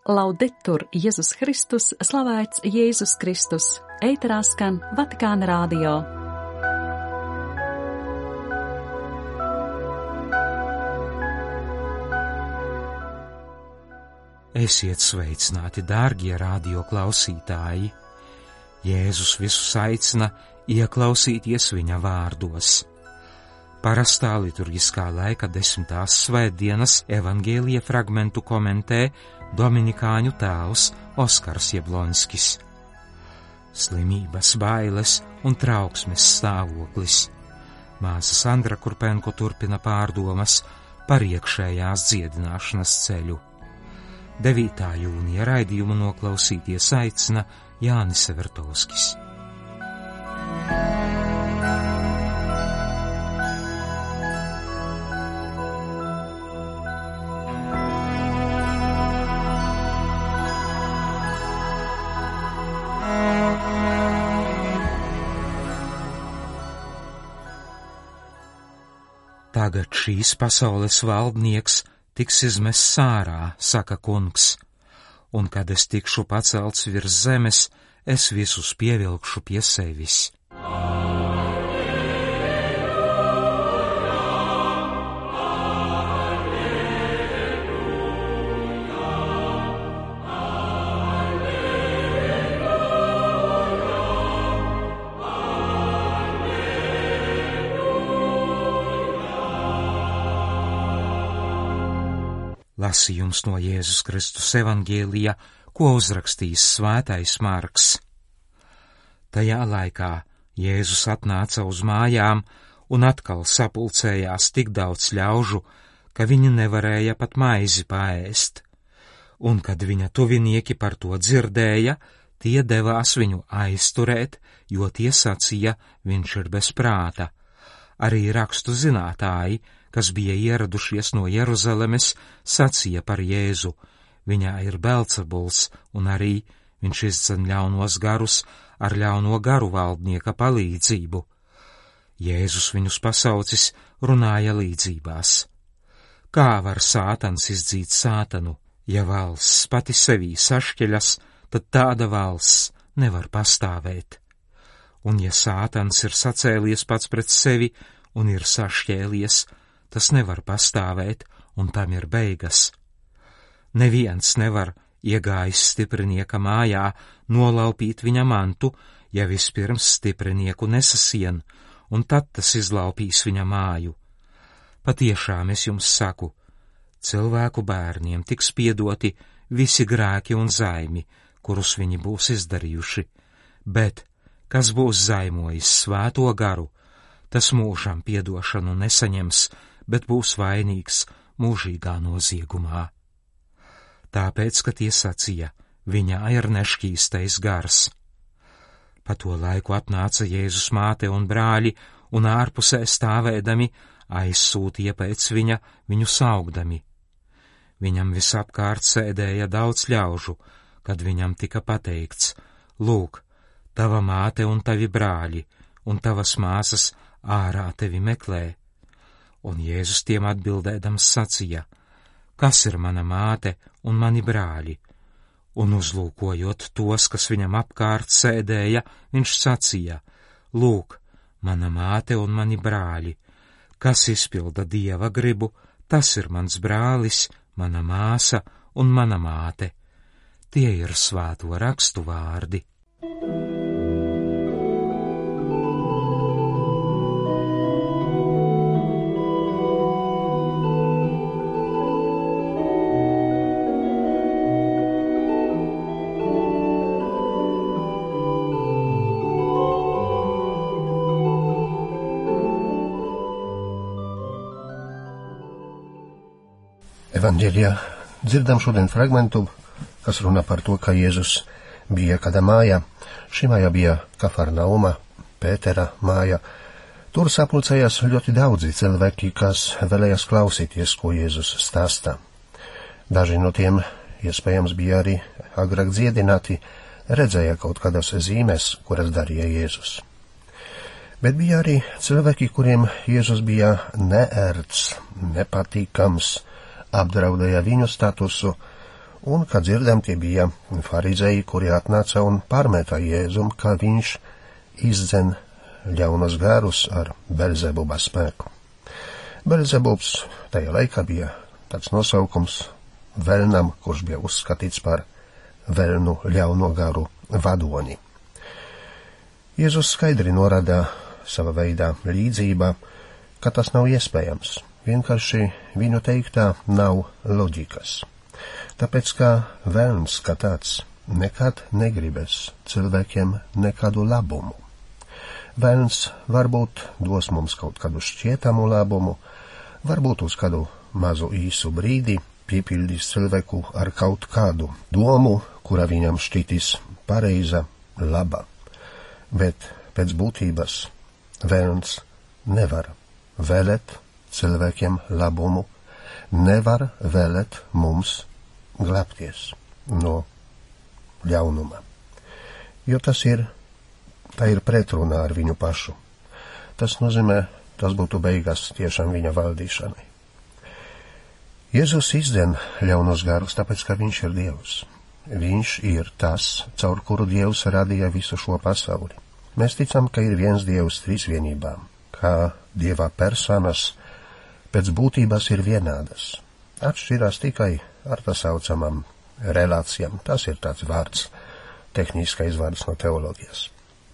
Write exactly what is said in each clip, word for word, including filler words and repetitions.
Laudetur Jēzus Kristus, slavēts Jēzus Kristus, ēterā skan Vatikāna radio. Esiet sveicināti, dārgie radio klausītāji! Jēzus visus aicina ieklausīties viņa vārdos. Parastā liturgiskā laika desmitās svētdienas evangēlija fragmentu komentē dominikāņu tēvs Oskars Jablonskis. Slimības, bailes un trauksmes stāvoklis. Māsa Sandra Kurpenko turpina pārdomas par iekšējās dziedināšanas ceļu. devītā jūnija raidījumu noklausīties aicina Jānis Severtovskis. Tagad šīs pasaules valdnieks tiks izmests ārā, saka kungs, un kad es tikšu pacelts virs zemes, es visus pievilkšu pie sevis. Lasījums no Jēzus Kristus evangēlija, ko uzrakstījis svētais Marks. Tajā laikā Jēzus atnāca uz mājām un atkal sapulcējās tik daudz ļaužu, ka viņi nevarēja pat maizi paēst. Un kad viņa tuvinieki par to dzirdēja, tie devās viņu aizturēt, jo tie sacīja, viņš ir bez prāta. Arī rakstu zinātāji, kas bija ieradušies no Jeruzalemes, sacīja par Jēzu, viņā ir Belcebuls, un arī viņš izdzen ļaunos garus ar ļauno garu valdnieka palīdzību. Jēzus viņus pasaucis, runāja līdzībās. Kā var sātans izdzīt sātanu? Ja valsts pati sevī sašķeļas, tad tāda valsts nevar pastāvēt. Un ja sātans ir sacēlies pats pret sevi un ir sašķēlies, tas nevar pastāvēt, un tam ir beigas. Neviens nevar, iegājis stiprinieka mājā, nolaupīt viņa mantu, ja vispirms stiprinieku nesasien, un tad tas izlaupīs viņa māju. Patiešām es jums saku, cilvēku bērniem tiks piedoti visi grēki un zaimi, kurus viņi būs izdarījuši, bet, kas būs zaimojis svēto garu, tas mūžam piedošanu nesaņems, bet būs vainīgs mūžīgā noziegumā. Tāpēc, ka tie sacīja, viņā ir nešķīstais gars. Pa to laiku atnāca Jēzus māte un brāļi, un ārpusē stāvēdami aizsūtīja pēc viņa, viņu saugdami. Viņam visapkārt sēdēja daudz ļaužu, kad viņam tika pateikts, lūk, tava māte un tavi brāļi, un tavas māsas ārā tevi meklē. Un Jēzus tiem atbildēdams sacīja, kas ir mana māte un mani brāļi? Un uzlūkojot tos, kas viņam apkārt sēdēja, viņš sacīja, lūk, mana māte un mani brāļi, kas izpilda Dieva gribu, tas ir mans brālis, mana māsa un mana māte. Tie ir svēto rakstu vārdi. Evanģēlijā dzirdam šodien fragmentu, kas runā par to, ka Jēzus bija kādā mājā. Šī māja bija Kafarnauma, Pētera māja. Tur sapulcējās ļoti daudzi cilvēki, kas vēlējās klausīties, ko Jēzus stāsta. Daži no tiem, iespējams, bija arī agrāk dziedināti, redzēja kaut kādas zīmes, kuras darīja Jēzus. Bet bija arī cilvēki, kuriem Jēzus bija neērts, nepatīkams, apdraudēja viņu statusu Un, kā dzirdam, tie bija farizēji, kuri atnāca un pārmetā Jēzum, ka viņš izdzen ļaunos garus ar Belzebuba spēku. Belzebubs tajā laikā bija tāds nosaukums velnam, kurš bija uzskatīts par velnu ļauno garu vadoni. Jēzus skaidri norāda sava veidā līdzība, ka tas nav iespējams. Vienkārši viņu teiktā nav loģikas. Tāpēc, ka velns kā tāds nekad negribēs cilvēkiem nekādu labumu. Velns varbūt dos mums kaut kādu šķietamu labumu, varbūt uz kādu mazu īsu brīdi piepildīs cilvēku ar kaut kādu domu, kura viņam šķitīs pareiza, laba. Bet pēc būtības velns nevar vēlēt cilvēkiem labumu, nevar vēlēt mums glābties no ļaunuma. Jo tas ir, tā ir pretrunā ar viņu pašu. Tas nozīmē, tas būtu beigas tiešām viņa valdīšanai. Jēzus izdzen ļaunos garus, tāpēc, ka viņš ir Dievs. Viņš ir tas, caur kuru Dievs radīja visu šo pasauli. Mēs ticam, ka ir viens Dievs trīsvienībām, ka Dieva personas pēc būtības ir vienādas. Atšķirās tikai ar tā saucamām relācijām. Tas ir tāds vārds, tehniskais vārds no teoloģijas.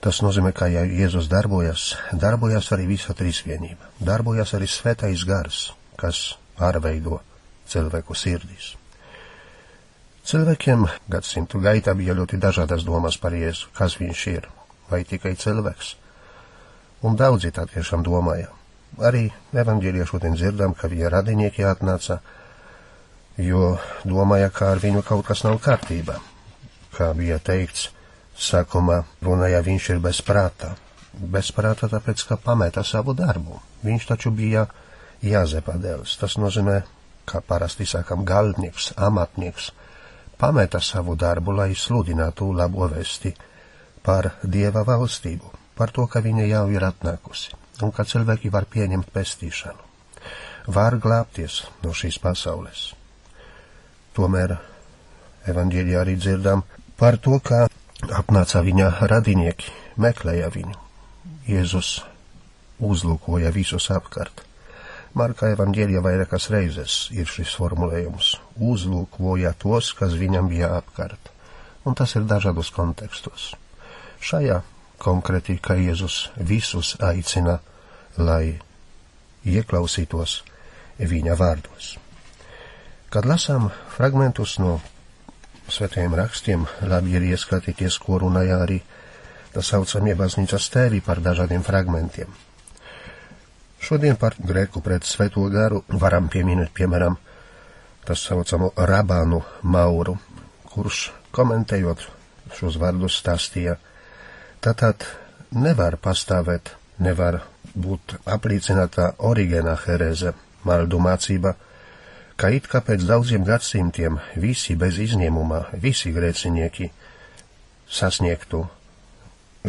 Tas nozīmē, ka ja Jēzus darbojas, darbojas arī visa trīsvienība. Darbojas arī svētais gars, kas pārveido cilvēku sirdīs. Cilvēkiem gadsimtu gaitā bija ļoti dažādas domas par Jēzu, kas viņš ir, vai tikai cilvēks. Un daudzi tā tiešām domāja. Arī evaņģēlijā šodien dzirdam, ka viņa radinieki atnāca, jo domāja, ka ar viņu kaut kas nav kārtībā. Kā bija teikts, sākumā runāja, viņš ir bez prāta. Bez prāta tāpēc, ka pameta savu darbu. Viņš taču bija Jāzepa dēls. Tas nozīmē, kā parasti sakam, galdnieks, amatnieks, pameta savu darbu, lai sludinātu labo vesti par Dieva valstību, par to, ka viņa jau ir atnākusi, un ka cilvēki var pieņemt pestīšanu, var glābties no šīs pasaules. Tomēr evaņģēlijā arī dzirdam par to, ka apnāca viņa radinieki, meklēja viņu. Jēzus uzlūkoja visus apkārt. Marka evaņģēlijā vairākas reizes ir šis formulējums. Uzlūkoja tos, kas viņam bija apkārt. Un tas ir dažādos kontekstos. Šajā konkrēti, ka Jēzus visus aicina, lai ieklausītos viņa vārdos. Kad lasām fragmentus no svētajiem rakstiem, labi ir ieskatīties, ko runāja arī tā saucamie baznīcas tēvi par dažādiem fragmentiem. Šodien par grēku pret svēto garu varam pieminēt, piemēram, tā saucamo Rabānu Mauru, kurš komentējot šos vārdus stāstīja, tātad nevar pastāvēt, nevar būt apliecināta Origēna herēze, maldu mācība, ka it kā pēc daudziem gadsimtiem visi bez izņēmumā, visi grēcinieki sasniegtu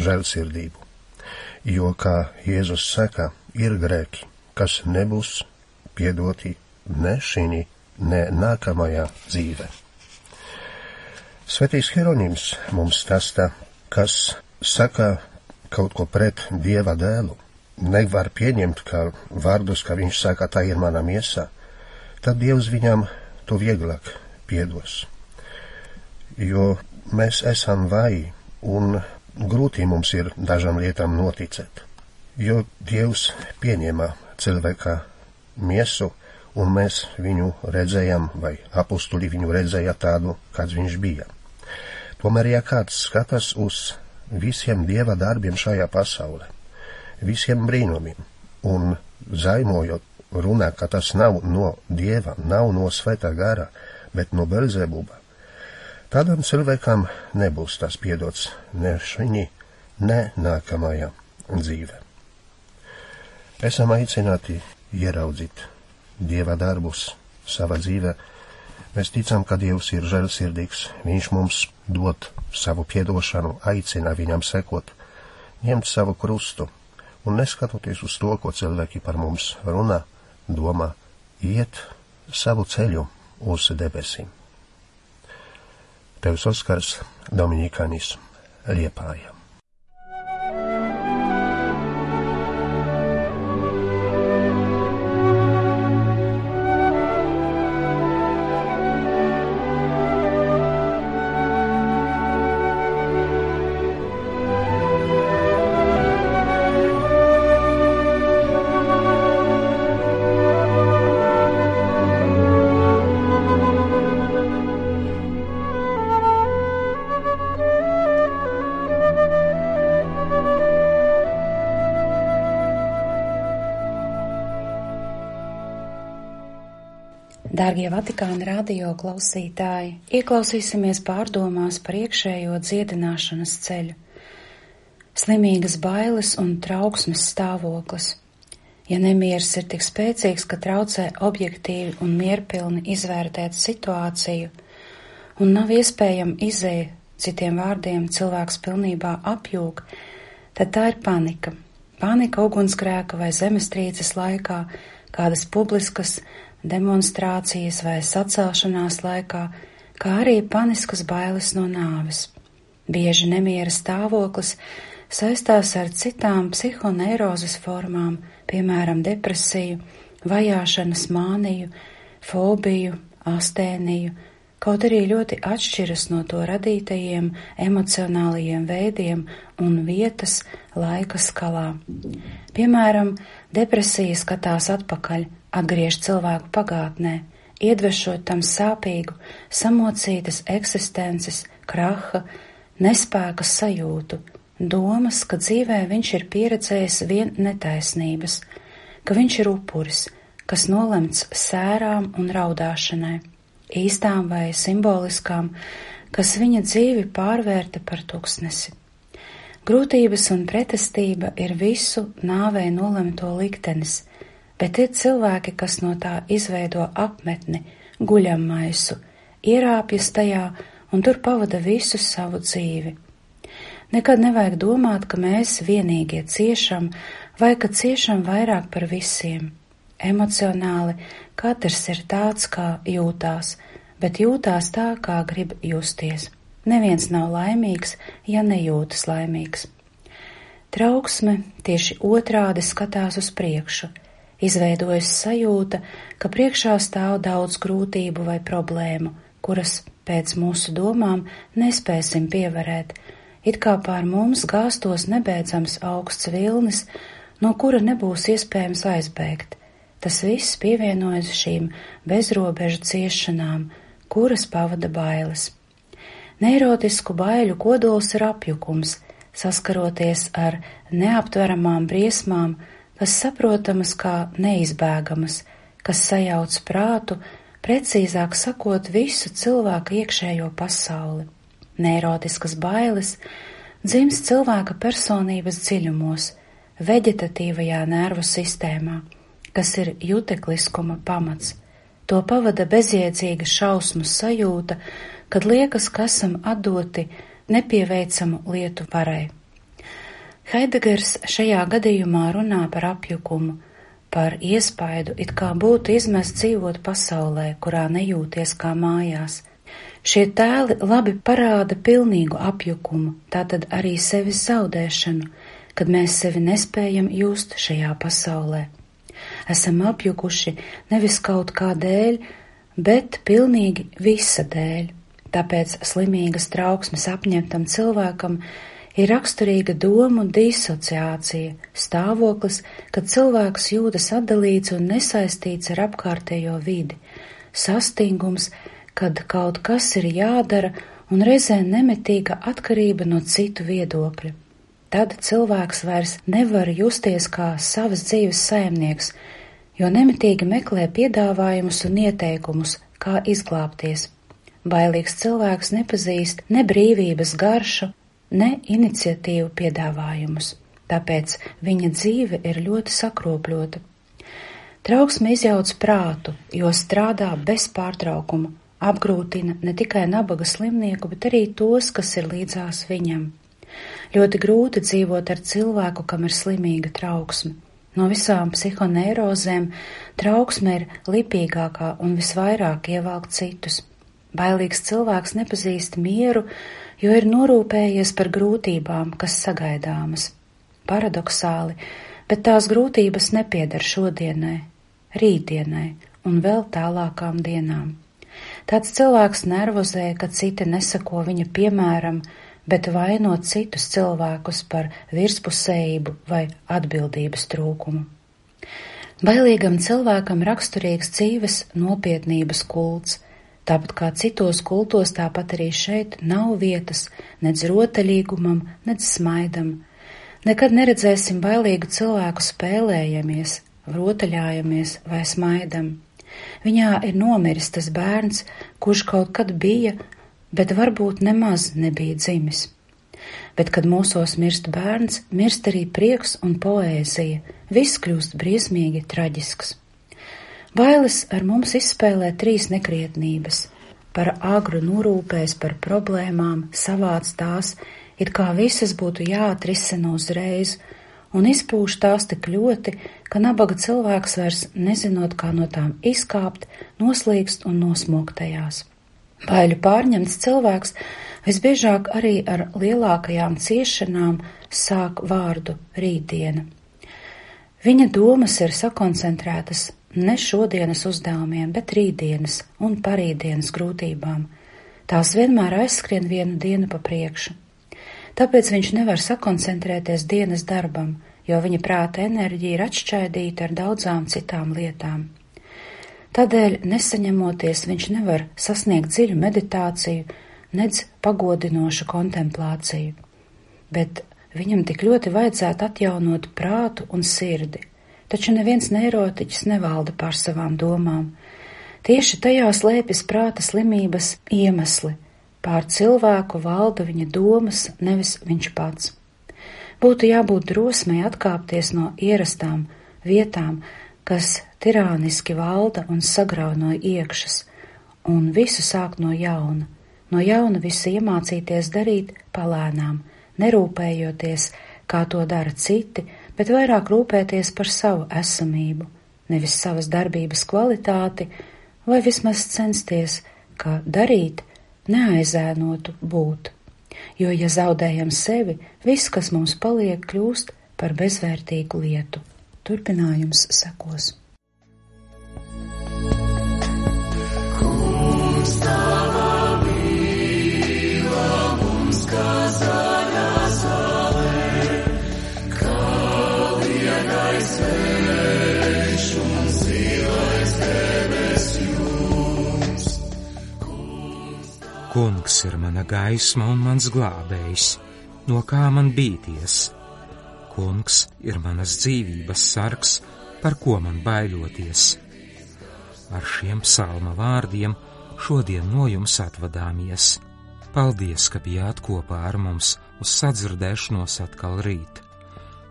žēlsirdību. Jo, kā Jēzus saka, ir grēki, kas nebūs piedoti ne šī, ne nākamajā dzīve. Svētais Hieronims mums stāsta, kas saka kaut ko pret Dieva dēlu, nevar pieņemt kā vārdus, ka viņš saka, tā ir mana miesa, tad Dievs viņam to vieglāk piedos. Jo mēs esam vāji un grūti mums ir dažām lietām noticēt. Jo Dievs pieņēma cilvēka miesu, un mēs viņu redzējām, vai apustuļi viņu redzēja tādu, kāds viņš bija. Tomēr, ja kāds skatās uz visiem Dieva darbiem šajā pasaulē, visiem brīnumiem, un zaimojot runā, ka tas nav no Dieva, nav no svētā gara, bet no Belzebuba, tādam cilvēkam nebūs tas piedots ne šī, ne nākamajā dzīve. Esam aicināti ieraudzīt Dieva darbus savā dzīvē. Mēs ticam, ka Dievs ir žēlsirdīgs, viņš mums dod savu piedošanu, aicina viņam sekot, ņemt savu krustu, un neskatoties uz to, ko cilvēki par mums runā, domā, iet savu ceļu uz debesīm. Tevs Oskars, Dominikānis, Liepāja. Dārgie Vatikāna radio klausītāji, ieklausīsimies pārdomās par iekšējo dziedināšanas ceļu. Slimīgas bailes un trauksmes stāvoklis. Ja nemieris ir tik spēcīgs, ka traucē objektīvi un mierpilni izvērtēt situāciju, un nav iespējama izeja, citiem vārdiem cilvēks pilnībā apjūg, tad tā ir panika. Panika ugunsgrēka vai zemestrīces laikā, kādas publiskas demonstrācijas vai sacelšanās laikā, kā arī paniskas bailes no nāves. Bieži nemiera stāvoklis saistās ar citām psihoneirozes formām, piemēram, depresiju, vajāšanas māniju, fobiju, astēniju, kaut arī ļoti atšķiras no to radītajiem emocionālajiem veidiem un vietas laika skalā. Piemēram, depresija skatās atpakaļ, atgriež cilvēku pagātnē, iedvešot tam sāpīgu, samocītas eksistences, kraha, nespēka sajūtu, domas, ka dzīvē viņš ir pieredzējis vien netaisnības, ka viņš ir upuris, kas nolemts sērām un raudāšanai, īstām vai simboliskām, kas viņa dzīvi pārvērta par tuksnesi. Grūtības un pretestība ir visu nāvei nolemto liktenis, bet ir cilvēki, kas no tā izveido apmetni, guļammaisu, ierāpjas tajā un tur pavada visu savu dzīvi. Nekad nevajag domāt, ka mēs vienīgie ciešam vai ka ciešam vairāk par visiem. Emocionāli katrs ir tāds, kā jūtās, bet jūtās tā, kā grib justies. Neviens nav laimīgs, ja nejūtas laimīgs. Trauksme tieši otrādi skatās uz priekšu. Izveidojas sajūta, ka priekšā stāv daudz grūtību vai problēmu, kuras pēc mūsu domām nespēsim pievarēt, it kā pār mums gāstos nebeidzams augsts vilnis, no kura nebūs iespējams aizbēgt. Tas viss pievienojas šīm bezrobežu ciešanām, kuras pavada bailes. Neirotisku baiļu kodols ir apjukums, saskaroties ar neaptveramām briesmām, kas saprotamas kā neizbēgamas, kas sajauc prātu, precīzāk sakot visu cilvēku iekšējo pasauli. Neirotiskas bailes dzimst cilvēka personības dziļumos, veģetatīvajā nervu sistēmā, kas ir jutekliskuma pamats. To pavada bezjēdzīga šausmu sajūta, kad liekas, ka esam atdoti nepieveicamu lietu varai. Haidegers šajā gadījumā runā par apjukumu, par iespaidu, it kā būtu izmest dzīvot pasaulē, kurā nejūties kā mājās. Šie tēli labi parāda pilnīgu apjukumu, tātad arī sevis zaudēšanu, kad mēs sevi nespējam just šajā pasaulē. Esam apjukuši nevis kaut kā dēļ, bet pilnīgi visa dēļ. Tāpēc slimīgas trauksmes apņemtam cilvēkam ir raksturīga domu disociācija, stāvoklis, kad cilvēks jūtas atdalīts un nesaistīts ar apkārtējo vidi, sastingums, kad kaut kas ir jādara un reizē nemitīga atkarība no citu viedokļa. Tad cilvēks vairs nevar justies kā savas dzīves saimnieks, jo nemitīgi meklē piedāvājumus un ieteikumus, kā izglābties. Bailīgs cilvēks nepazīst ne brīvības garšu, ne iniciatīvu piedāvājumus, tāpēc viņa dzīve ir ļoti sakropļota. Trauksme izjauc prātu, jo strādā bez pārtraukuma, apgrūtina ne tikai nabaga slimnieku, bet arī tos, kas ir līdzās viņam. Ļoti grūti dzīvot ar cilvēku, kam ir slimīga trauksme. No visām psihoneirozēm trauksme ir lipīgākā un visvairāk ievelk citus. Bailīgs cilvēks nepazīst mieru, jo ir norūpējies par grūtībām, kas sagaidāmas. Paradoksāli, bet tās grūtības nepieder šodienai, rītdienai un vēl tālākām dienām. Tāds cilvēks nervozē, ka citi nesako viņa piemēram, bet vaino citus cilvēkus par virspusējību vai atbildības trūkumu. Bailīgam cilvēkam raksturīgs dzīves nopietnības kults, tāpat kā citos kultos, tāpat arī šeit nav vietas nec rotaļīgumam, nec smaidam. Nekad neredzēsim bailīgu cilvēku spēlējamies, rotaļājamies vai smaidam. Viņā ir nomiris tas bērns, kurš kaut kad bija, bet varbūt nemaz nebija dzimis. Bet, kad mūsos mirst bērns, mirst arī prieks un poēzija, viss kļūst briesmīgi traģisks. Bailes ar mums izspēlē trīs nekrietnības, par agru norūpēs par problēmām, savāc tās, it kā visas būtu jāatrisina uzreiz, un izpūš tās tik ļoti, ka nabaga cilvēks vairs nezinot, kā no tām izkāpt, noslīkst un nosmok tajās. Baiļu pārņemts cilvēks visbiežāk arī ar lielākajām ciešanām sāk vārdu rītdiena. Viņa domas ir sakoncentrētas ne šodienas uzdevumiem, bet rītdienas un parītdienas grūtībām. Tās vienmēr aizskrien vienu dienu pa priekšu. Tāpēc viņš nevar sakoncentrēties dienas darbam, jo viņa prāta enerģija ir atšķaidīta ar daudzām citām lietām. Tādēļ, nesaņemoties, viņš nevar sasniegt dziļu meditāciju, nedz pagodinošu kontemplāciju, bet viņam tik ļoti vajadzētu atjaunot prātu un sirdi, taču neviens neirotiķis nevalda pār savām domām. Tieši tajā slēpjas prāta slimības iemesli. Pār cilvēku valda viņa domas, nevis viņš pats. Būtu jābūt drosmei atkāpties no ierastām vietām, kas tirāniski valda un sagrauj no iekšas, un visu sākt no jauna. No jauna visu iemācīties darīt palēnām, nerūpējoties, kā to dara citi, bet vairāk rūpēties par savu esamību, nevis savas darbības kvalitāti, vai vismaz censties, kā darīt, neaizēnotu būt. Jo, ja zaudējam sevi, viss, kas mums paliek, kļūst par bezvērtīgu lietu. Turpinājums sekos. Kungs, tava mīla mums kā zaļā zāle, kā liegais vējš un zilais debes jums. Kungs ir mana gaisma un mans glābējs, no kā man bīties. Kungs ir manas dzīvības sargs, par ko man baiļoties. Ar šiem psalma vārdiem šodien no jums atvadāmies. Paldies, ka bijāt kopā ar mums uz sadzirdēšanos atkal rīt.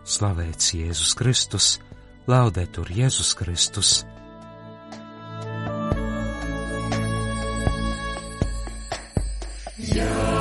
Slavēts Jēzus Kristus, laudetur Jēzus Kristus. Jā.